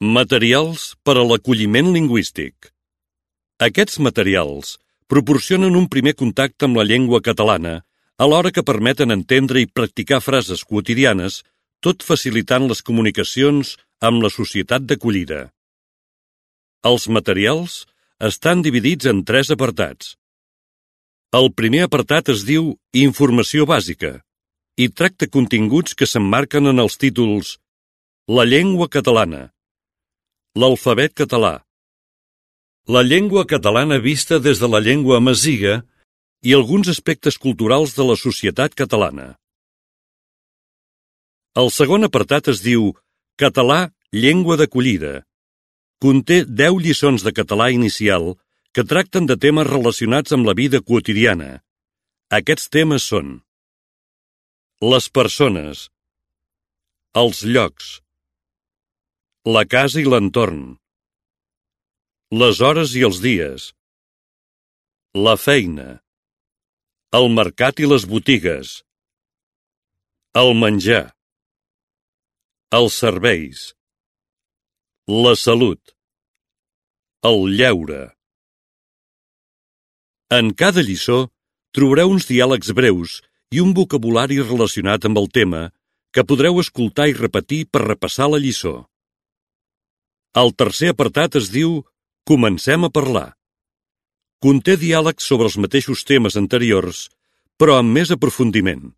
Materials per a l'acolliment lingüístic. Aquests materials proporcionen un primer contacte amb la llengua catalana, alhora que permeten entendre i practicar frases quotidianes, tot facilitant les comunicacions amb la societat d'acollida. Els materials estan dividits en 3 apartats. El primer apartat es diu Informació bàsica i tracta continguts que s'emmarquen en els títols La llengua catalana, l'alfabet català, la llengua catalana vista des de la llengua amaziga i alguns aspectes culturals de la societat catalana. El segon apartat es diu Català, llengua d'acollida. Conté 10 lliçons de català inicial que tracten de temes relacionats amb la vida quotidiana. Aquests temes són les persones, els llocs, la casa i l'entorn, les hores i els dies, la feina, el mercat i les botigues, el menjar, els serveis, la salut, el lleure. En cada lliçó trobareu uns diàlegs breus i un vocabulari relacionat amb el tema que podreu escoltar i repetir per repassar la lliçó. El tercer apartat es diu Comencem a parlar. Conté diàlegs sobre els mateixos temes anteriors, però amb més aprofundiment.